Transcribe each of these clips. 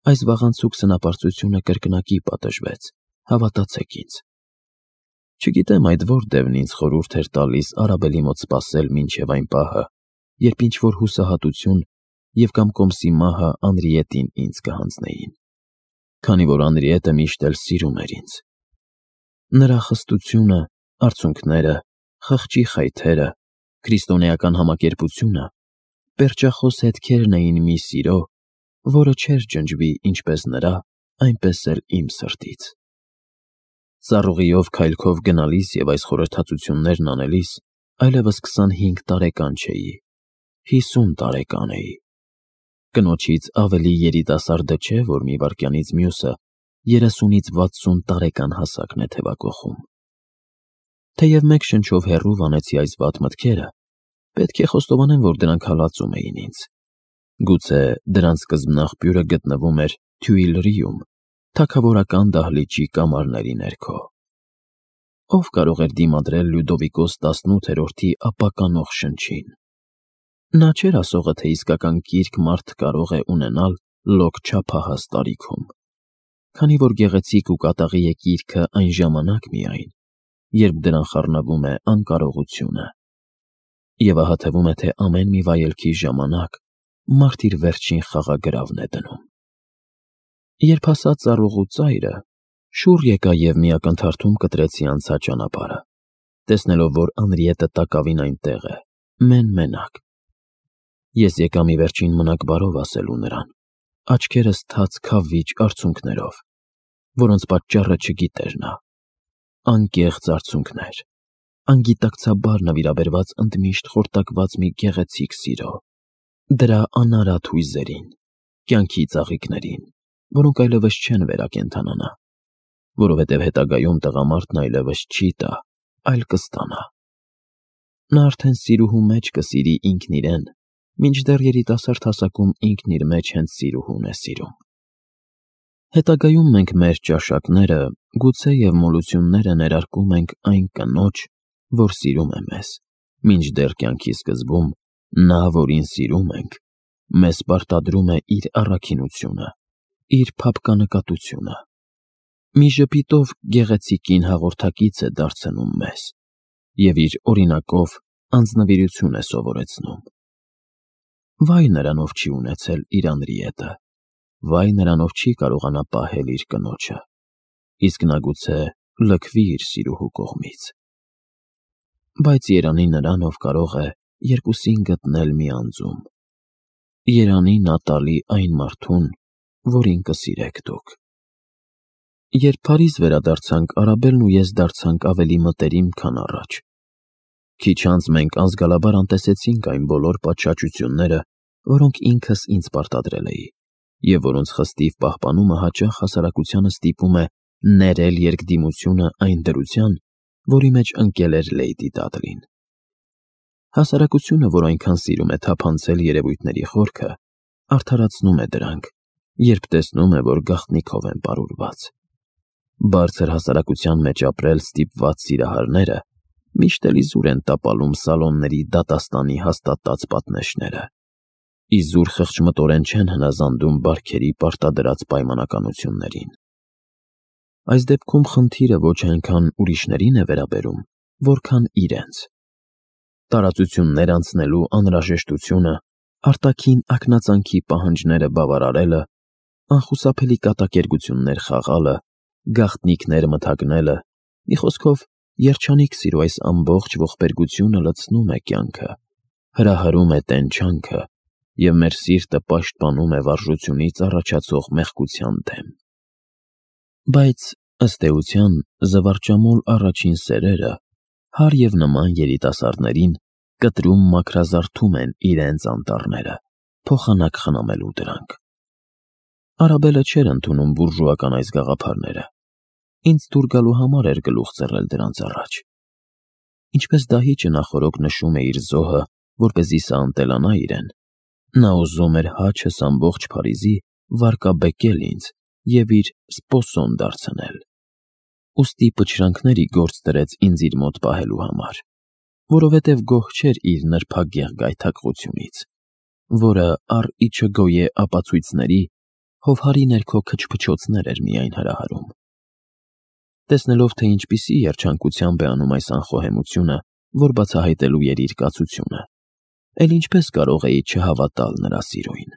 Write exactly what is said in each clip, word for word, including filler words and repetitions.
Այս վաղանցուկ սնապարծությունը կրկնակի պատժվեց, հավատացեք ինձ։ Չգիտեմ այդ որ դևն ինձ խորհուրդ էր տալիս Արաբելի մոտ սպասել մինչև այն պահը, երբ ինչ-որ հուսահատություն և կամ կոմսի մահը Անրիետին ինձ կհանձնեին, քանի որ Անրիետը միշտ էլ սիրում էր ինձ։ Նրա խստությունը, արցունքները, խղճի խայթերը, քրիստոնեական համակերպությունը պերճախոս հետքերն էին մի սիրո, որը չէր ջնջվի ինչպես նրա, այնպես էլ իմ սրտից։ Ծառուղիով քայլքով գնալիս և այս խորհրդածություններն անելիս այլևս քսանհինգ տարեկան չէի, հիսուն տարեկան էի։ Կնոջից ավելի երիտասարդը չէ, որ մի վայրկյանից մյուսը երեսունից վաթսուն տարեկան հասակն է թևակոխում։ Թեև մեկ շնչով հեռու վանեցի այս վատ մտքերը, պետք է խոստովանեմ, որ դրանք հալածում էին ինձ։ Գուցե դրանց սկզբնաղբյուրը գտնվում էր Թյուիլրիում, թագավորական դահլիճի կամարների ներքո։ Ով կարող էր դիմադրել Լյուդովիկոս տասնութերորդի ապականող շնչին։ Նա չէր ասողը, թե իսկական կիրք մարդ կարող է ունենալ լոկ չափահաս տարիքում, քանի որ գեղեցիկ ու կատաղի է կիրքը այն ժամանակ միայն, երբ դրան խառնվում է անկարողությունը, և ահա թվում է, թե ամեն մի վայելքի ժամանակ մարդ իր վերջին խաղագրավն է դնում։ Երբ հասա ծառուղու ծայրը, շուռ եկա և մի ակնթարթում կտրեցի անցած ճանապարհը, տեսնելով, որ Անրիետը տակավին այնտեղ է, մեն֊մենակ։ Ես եկա մի վերջին մնաք բարով ասելու նրան, աչքերս թաց քավիճ արցունքներով, որոնց պատճառը չգիտեր նա, անկեղծ արցունքներ, անգիտակցաբար նվիրաբերված ընդմիշտ խորտակված մի գեղեցիկ սիրո, դրա անարատ հույզերին, կյանքի ծաղիկներին, որոնք այլևս չեն վերակենդանանա, որովհետև հետագայում տղամարդն այլևս չի տա, այլ կստանա։ Նա արդեն սիրուհու մեջ կսիրի ինքն իրեն, մինչդեռ երիտասարդ հասակում ինքն իր մեջ հենց սիրուհուն է սիրում։ Հետագայում մենք մեր ճաշակները, գուցե և մոլությունները ներարկում ենք այն կնոջ, որ սիրում է մեզ, մինչդեռ կյանքի սկզբում նա, որին սիրում ենք, մեզ պարտադրում է իր առաքինությունը, իր փափկանկատությունը։ Մի ժպիտով գեղեցիկ կին հաղորդակից է դարձնում մեզ և իր օրինակով անձնվիրություն է սովորեցնում։ Վայ նրան, ով չի ունեցել իր Անրիետը, վայ նրան, ով չի կարողանա պահել իր կնոջը, իսկ նա գուցե լքվի իր սիրուհու կողմից։ Բայց երանի նրան, ով կարող է երկուսին գտնել մի անձում։ Երանի նա տալի այն մարդուն, որին կսիրեք դուք։ Երբ Փարիզ վերադարձանք, Արաբելն ու ես դարձանք ավելի մտերիմ, քան առաջ։ Քիչ անց մենք անզգալաբար անտեսեցինք այն բոլոր պատշաճությունները, որոնք ինքս ինձ պարտադրել էի, և որոնց խստիվ պահպանումը հաճախ հասարակությանը ստիպում է ներել երկդիմությունը այն դրության, որի մեջ ընկել էր Լեյդի Դադլին։ Հասարակությունը, որ այնքան սիրում է թափանցել երևույթների խորքը, արդարացնում է դրանք, երբ տեսնում է, որ գաղտնիքով են պարուրված։ Բարձր հասարակության մեջ ապրել ստիպված սիրահարները միշտ էլ իզուր են տապալում սալոնների դատաստանի հաստատած պատնեշները, իզուր խղճմտորեն չեն հնազանդում բարքերի պարտադրած պայմանականություններին։ Այս դեպքում խնդիրը ոչ այնքան ուրիշներին է վերաբերում, որքան իրենց։ Տարածություններ անցնելու անհրաժեշտությունը, արտաքին ակնածանքի պահանջները բավարարելը, անխուսափելի կատակերգություններ խաղալը, գաղտնիքներ մթագնելը, մի խոսքով, երջանիկ սիրո այս ամբողջ ողբերգությունը լցնում է կյանքը, հրահրում է տենչանքը և մեր սիրտը պաշտպանում է վարժությունից առաջացող մեղքության դեմ։ Բայց, ըստ էության, զվարճամոլ առաջին սերերը, հարև և նման երիտասարդներին, կտրում մաքրազարդում են իրենց անտառները, փոխանակ խնամելու դրանք։ Արաբելը չէր ընդունում բուրժուական այս գաղափարները։ Ինձ դուր գալու համար էր գլուխ ծռել դրանց առաջ։ Ինչպես դահիճը նախօրոք նշում է իր զոհը, որպեսզի սա ընտելանա իրեն, նա ուզում էր հաչս ամբողջ Փարիզի վարկաբեկել ինձ և իր սպոսոն դարձնել։ Ուստի պչրանքների գործ դրեց ինձ իր մոտ պահելու համար, որովհետև գոհ չէր իր նրբագեղ գայթակղությունից, որը առ ի չգոյե ապացույցների հովհարի ներքո քչփչոցներ էր միայն հրահարում։ Տեսնելով, թե ինչպիսի երջանկությամբ է անում այս անխոհեմությունը, որ բացահայտելու էր իր կացությունը, էլ ինչպես կարող էի չհավատալ նրա սիրոյին։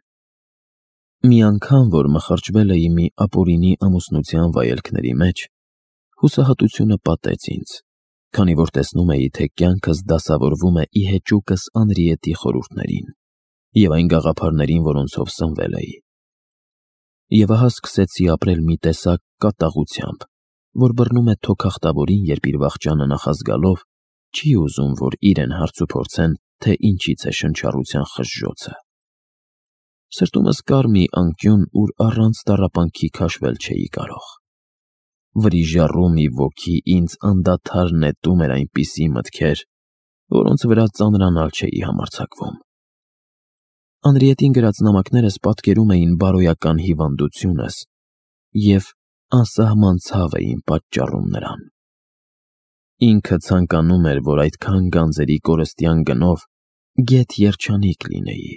Մի անգամ, որ մխրճվել էի մի ապօրինի ամուսնության վայելքների մեջ, հուսահատությունը պատեց ինձ, քանի որ տեսնում էի, թե կյանքս դասավորվում է ի հեճուկս Անրիետի խորհուրդներին և այն գաղափարներին, որոնցով սնվել էի։ Եվ ահա սկսեցի ապրել մի տեսակ կատաղությամբ, որ բռնում է թոքախտավորին, երբ իր վախճանը նախազգալով չի ուզում, որ իրեն հարցուփորձեն, թե ինչից է շնչառության խժժոցը։ Սրտումս կար մի անկյուն, ուր առանց տառապանքի քաշվել չէի կարող։ Վրիժառու մի ոգի ինձ անդադար նետում էր այնպիսի մտքեր, որոնց վրա ծանրանալ չէի համարձակվում։ Անրիետին գրած նամակներս պատկերում էին բարոյական հիվանդությունս և անսահման ցավ էին պատճառում նրան։ Ինքը ցանկանում էր, որ այդքան գանձերի կորստյան գնով գեթ երջանիկ լինեի,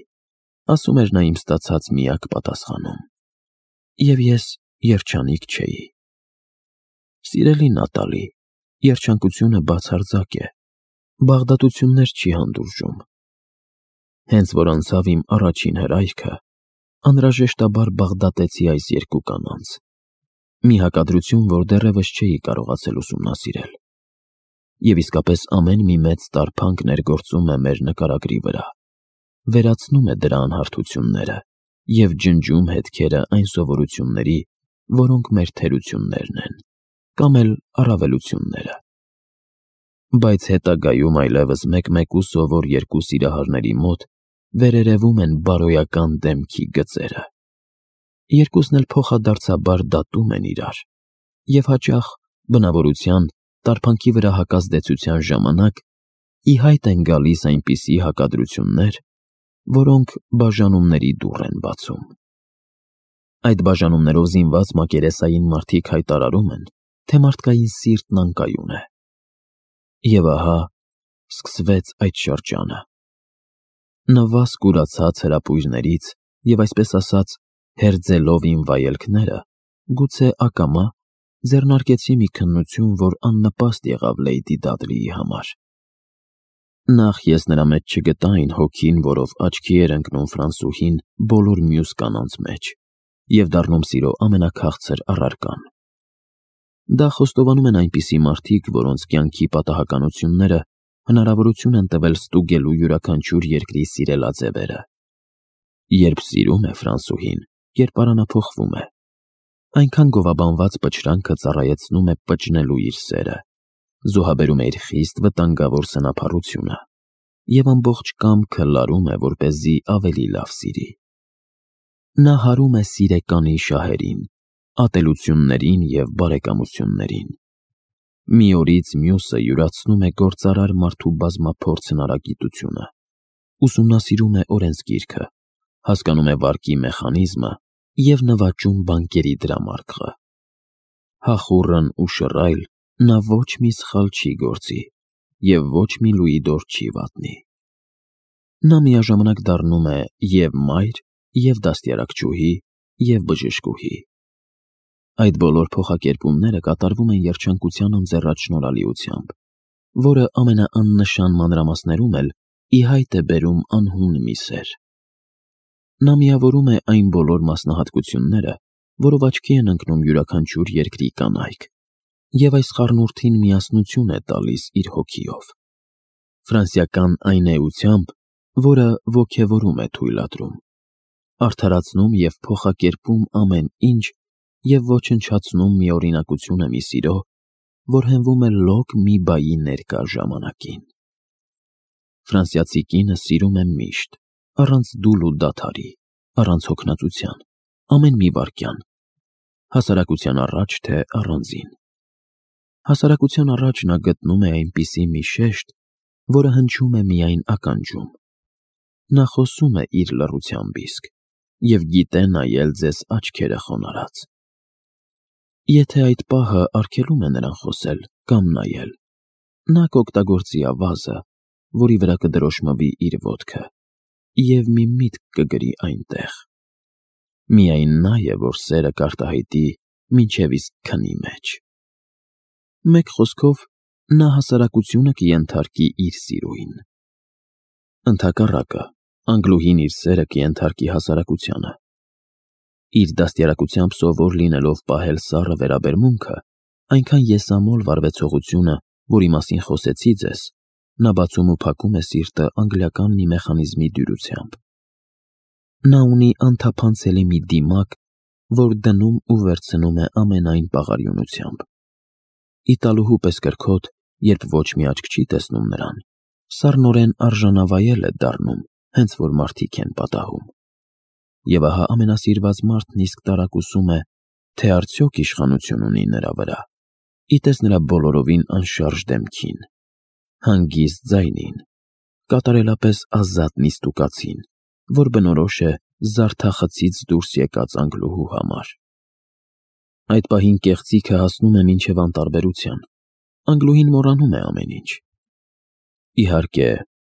ասում էր նա իմ ստացած միակ պատասխանում։ Եվ ես երջանիկ չէի։ Սիրելի Նատալի, երջանկությունը բացարձակ է, բաղդատություններ չի հանդուրժում։ Հենց որ անցավ իմ առաջին հրայքը, անհրաժեշտաբար բաղդատեցի այս երկու կանանց։ Մի հակադրություն, որ դեռևս չէի կարողացել ուսումնասիրել։ Եվ իսկապես ամեն մի մեծ տարփանք ներգործում է մեր նկարագրի վրա, վերացնում է դրա անհարթությունները և ջնջում հետքերը այն սովորությունների, որոնք մեր թերություններն են, կամ էլ առավելությունները։ Բայց հետագայում այլևս մեկ-մեկու սովոր երկու սիրահարների մոտ վերերևում են բարոյական դեմքի գծերը։ Երկուսն էլ փոխադարձաբար դատում են իրար, և հաճախ բնավորության, տարփանքի վրա հակազդեցության ժամանակ ի հայտ են գալիս այնպիսի հակադրություններ, որոնք բաժանումների դուռ են բացում։ Այդ բաժանումներով զինված մակերեսային մարդիկ հայտարարում են, թե մարդկային սիրտն անկայուն է։ Եվ ահա սկսվեց այդ շրջանը։ Նվազ կուրացած հրապույրներից և այսպես ասած հերձելով իմ վայելքները, գուցե ակամա ձեռնարկեցի մի քննություն, որ աննպաստ եղավ Լեյդի Դադլիի համար։ Նախ ես նրա մեջ չգտա այն հոգին, որով աչքի էր ընկնում ֆրանսուհին բոլոր մյուս կանանց մեջ և դառնում սիրո ամենաքաղցր առարկան։ Դա խոստովանում են այնպիսի մարդիկ, որոնց կյանքի պատահականությունները հնարավորություն են տվել ստուգելու յուրաքանչյուր երկրի սիրելաձևերը։ Երբ սիրում է ֆրանսուհին, կերպարանափոխվում է։ Այնքան գովաբանված պչրանքը ծառայեցնում է պճնելու իր սերը, զոհաբերում է իր խիստ վտանգավոր սնափառությունը և ամբողջ կամքը լարում է, որպեսզի ավելի լավ սիրի։ Նա հարում է սիրեկանի շահերին, ատելություններին և բարեկամություններին։ Մի օրից մյուսը յուրացնում է գործարար մարդու բազմափորձ հնարագիտությունը, ուսումնասիրում է օրենսգիրքը, հասկանում է վարկի մեխանիզմը և նվաճում բանկերի դրամարկղը։ Հախուռն ու շռայլ նա ոչ մի սխալ չի գործի և ոչ մի լուիդոր չի վատնի։ Նա միաժամանակ դառնում է և մայր, և դաստիարակչուհի, և բժշկուհի։ Այդ բոլոր փոխակերպումները կատարվում են երջանկության ընձեռած շնորհալիությամբ, որը ամենաաննշան մանրամասներում էլ ի հայտ է բերում անհուն մի սեր։ Նա միավորում է այն բոլոր մասնահատկությունները, որով աչքի են ընկնում յուրաքանչյուր երկրի կանայք, և այս խառնուրդին միասնություն է տալիս իր հոգիով։ Ֆրանսիական այն էությամբ, որը ոգևորում է թույլատրում, արդարացնում և փոխակերպում ամեն ինչ և ոչնչացնում միօրինակությունը մի սիրո, որ հենվում է լոկ մի բայի ներկա ժամանակին։ Ֆրանսիացի կինը սիրում է միշտ, առանց դուլ ու դադարի, առանց հոգնածության, ամեն մի վայրկյան, հասարակության առաջ, թե առանձին։ Հասարակության առաջ նա գտնում է այնպիսի մի շեշտ, որը հնչում է միայն ականջում։ Նա խոսում է իր լռությամբ իսկ և գիտե նայել ձեզ աչքերը խոնարհած։ Եթե այդ պահը արգելում է նրան խոսել կամ նայել, նա կօգտագործի ավազը, որի վրա կդրոշմվի իր ոտքը և մի միտք կգրի այնտեղ։ Միայն նա է, որ սերը կարտահայտի մինչև իսկ քնի մեջ։ Մեկ խոսքով, նա հասարակությունը կենթարկի իր սիրուին։ Ընդհակառակը, Անգլուհին իր սերը կենթարկի հասարակությանը։ Իր դաստիարակությամբ սովոր լինելով պահել սառը վերաբերմունքը, այնքան եսամոլ վարվեցողությունը, որի մասին խոսեցի ձեզ, նա բացում ու փակում է սիրտը անգլիական մի մեխանիզմի դյուրությամբ։ Նա ունի անթափանցելի մի դիմակ, որ դնում ու վերցնում է ամենայն պաղարյունությամբ։ Իտալուհու պես կրքոտ, երբ ոչ մի աչք չի տեսնում նրան, սառնորեն արժանավայել է դառնում, հենց որ մարդիկ են պատահում։ Եվ ահա ամենասիրված մարդն իսկ տարակուսում է, թե արդյոք իշխանություն ունի նրա վրա, իտես նրա բոլորովին անշարժ դեմքին, հանգիստ ձայնին, կատարելապես ազատ նիստուկացին, որ բնորոշ է զարդախցից դուրս եկած Անգլուհու համար։ Այդ պահին կեղծիքը հասնում է մինչև անտարբերության, Անգլուհին մոռանում է ամեն ինչ։ Իհարկե,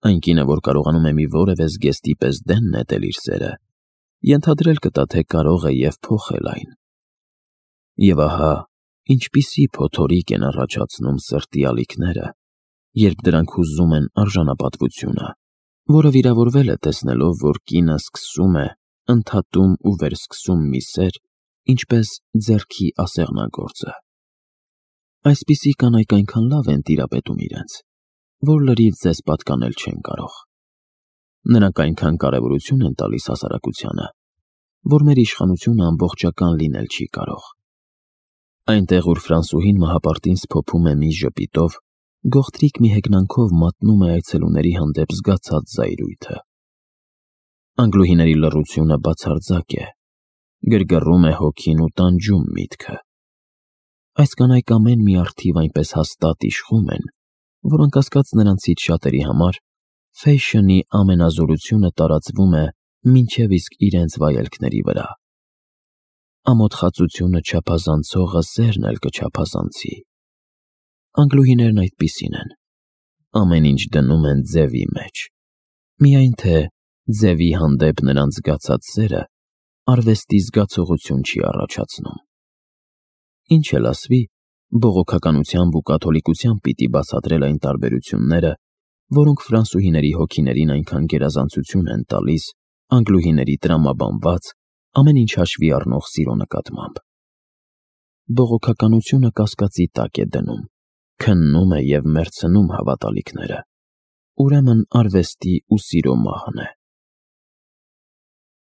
այն կինը, որ կարողանում է մի որևէ զգեստի պես դեն նետել իր սերը, ենթադրել կտա, թե կարող է և փոխել այն։ Եվ ահա, ինչպիսի փոթորիկ են առաջացնում սրտի ալիքները, երբ դրանք հուզում են արժանապատվությունը, որը վիրավորվել է տեսնելով, որ կինը սկսում է, ընդհատում ու վերսկսում մի սեր, ինչպես ձեռքի ասեղնագործը։ Այսպիսի կանայք այնքան լավ են տիրապետում իրենց, որ լրիվ ձեզ պատկանել չեն կարող։ Նրանք այնքան կարևորություն են տալիս հասարակությանը, որ մեր իշխանությունը ամբողջական լինել չի կարող։ Այնտեղ, ուր ֆրանսուհին մահապարտին սփոփում է մի ժպիտով, գողտրիկ մի հեգնանքով մատնում է այցելուների հանդեպ զգացած զայրույթը։ Անգլուհիների լռությունը բացարձակ է, գրգռում է հոգին ու տանջում միտքը։ Այս կանայք ամեն մի առթիվ այնպես հաստատ իշխում են, որ անկասկած նրանցից շատերի համար ֆեյշնի ամենազորությունը տարածվում է մինչև իսկ իրենց վայելքների վրա։ Ամոթխածությունը չափազանցողը սերն էլ կչափազանցի։ Անգլուհիներն այդպիսին են, ամեն ինչ դնում են ձևի մեջ, միայն թե ձևի հանդեպ նրանց զգացած սերը արվեստի զգացողություն չի առաջացնում։ Ինչ էլ ասվի, բողոքականությամբ ու կաթոլիկությամբ պիտի բացատրել այն տարբերությունները, որոնք ֆրանսուհիների հոգիներին այնքան գերազանցություն են տալիս անգլուհիների տրամաբանված, ամեն ինչ հաշվի առնող սիրո նկատմամբ։ Բողոքականությունը կասկածի տակ է դնում, քննում է և մեռցնում հավատալիքները, ուրեմն արվեստի ու սիրո մահն է։